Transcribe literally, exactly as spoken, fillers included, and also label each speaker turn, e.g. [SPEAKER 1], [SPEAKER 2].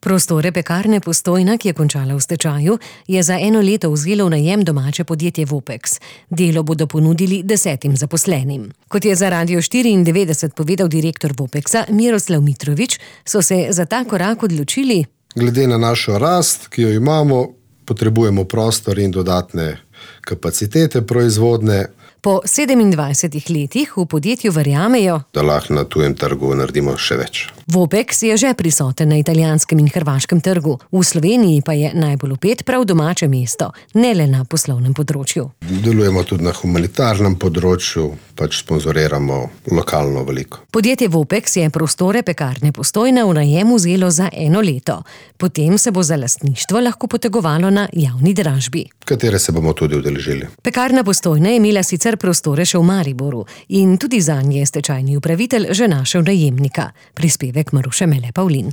[SPEAKER 1] Prostore Pekarne Postojna, ki je končala v stečaju, je za eno leto vzelo v najem domače podjetje Vopex. Delo bodo ponudili desetim zaposlenim. Kot je za Radio štiriindevetdeset povedal direktor Vopexa Miroslav Mitrović, so se za ta korak odločili.
[SPEAKER 2] Glede na našo rast, ki jo imamo, potrebujemo prostor in dodatne kapacitete proizvodne.
[SPEAKER 1] Po sedemindvajsetih letih v podjetju verjamejo,
[SPEAKER 2] da lahko na tujem trgu naredimo še več.
[SPEAKER 1] Vopex je že prisoten na italijanskem in hrvaškem trgu. V Sloveniji pa je najbolj vpet prav domače mesto, ne le na poslovnem področju.
[SPEAKER 2] Delujemo tudi na humanitarnem področju, pač sponzoriramo lokalno veliko.
[SPEAKER 1] Podjetje Vopex je prostore Pekarne Postojna v najem vzelo za eno leto. Potem se bo za lastništvo lahko potegovalo na javni dražbi,
[SPEAKER 2] katere se bomo tudi udeležili.
[SPEAKER 1] Pekarna Postojna je imela sicer prostore še v Mariboru in tudi zanje je stečajni upravitelj že našel najemnika. Prispevek Maruše Mele Pavlin.